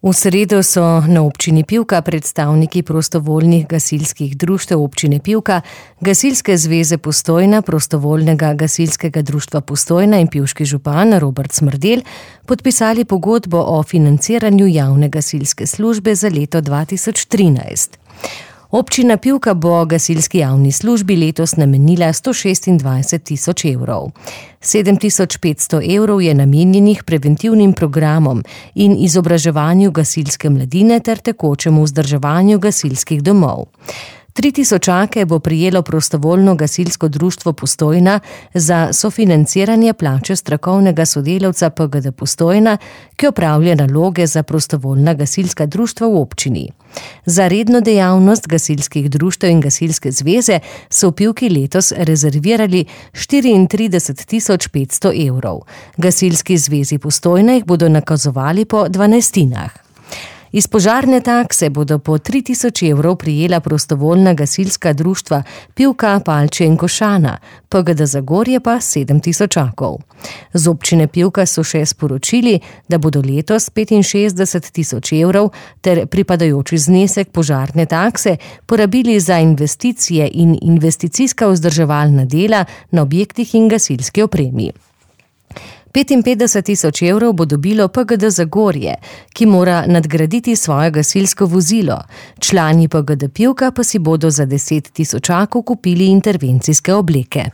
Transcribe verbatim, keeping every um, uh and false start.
V sredo so na občini Pivka predstavniki prostovoljnih gasilskih društev občine Pivka, Gasilske zveze Postojna, Prostovoljnega gasilskega društva Postojna in pivški župan Robert Smrdelj podpisali pogodbo o financiranju javne gasilske službe za leto dva tisoč trinajst. Občina Pivka bo gasilski javni službi letos namenila sto šestindvajset tisoč evrov. sedem tisoč petsto evrov je namenjenih preventivnim programom in izobraževanju gasilske mladine ter tekočemu vzdrževanju gasilskih domov. Tri tisočake bo prejelo prostovoljno gasilsko društvo Postojna za sofinanciranje plače strokovnega sodelavca P G D Postojna, ki opravlja naloge za prostovoljna gasilska društva v občini. Za redno dejavnost gasilskih društev in gasilske zveze so v Pivki letos rezervirali štiriintrideset tisoč petsto evrov. Gasilski zvezi Postojna jih bodo nakazovali po dvanajstinah. Iz požarne takse bodo po tri tisoč evrov prijela prostovoljna gasilska društva Pivka, Palče in Košana, P G D Zagorje pa sedem tisočakov. Z občine Pivka so še sporočili, da bodo letos petinšestdeset tisoč evrov ter pripadajoči znesek požarne takse porabili za investicije in investicijska vzdrževalna dela na objektih in gasilski opremi. petinpetdeset tisoč evrov bo dobilo P G D Zagorje, ki mora nadgraditi svoje gasilsko vozilo. Člani P G D Pivka pa si bodo za deset tisočakov kupili intervencijske obleke.